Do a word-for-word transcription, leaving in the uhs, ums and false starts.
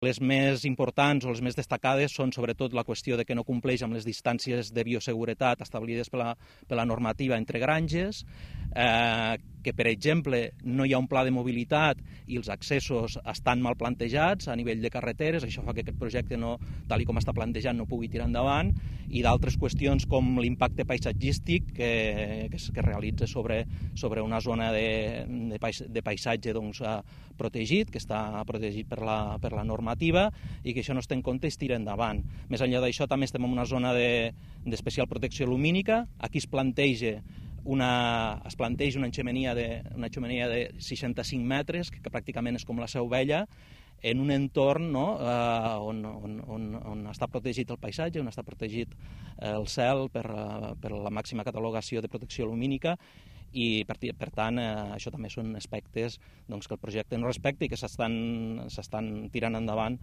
Les més importants o les més destacades són sobretot la qüestió de que no compleix amb les distàncies de bioseguretat establides per la, per la normativa entre granges, eh, que, per exemple, no hi ha un pla de mobilitat i els accessos estan mal plantejats a nivell de carreteres, això fa que aquest projecte, no, tal i com està plantejat, no pugui tirar endavant, i d'altres qüestions com l'impacte paisatgístic que, que es que realitza sobre, sobre una zona de, de, pais, de paisatge doncs, protegit, que està protegit per la, per la normativa, i que això no es té en compte i es tira endavant. Més enllà d'això, també estem en una zona d'especial de, protecció lumínica. Aquí es planteja una, es planteja una xemeneia de, una xemeneia de seixanta-cinc metres, que, que pràcticament és com la Seu Vella, en un entorn, no, eh, on, on, on, on està protegit el paisatge, on està protegit el cel per, per la màxima catalogació de protecció lumínica, i per, per tant eh, això també són aspectes doncs, que el projecte no respecta i que s'estan tirant endavant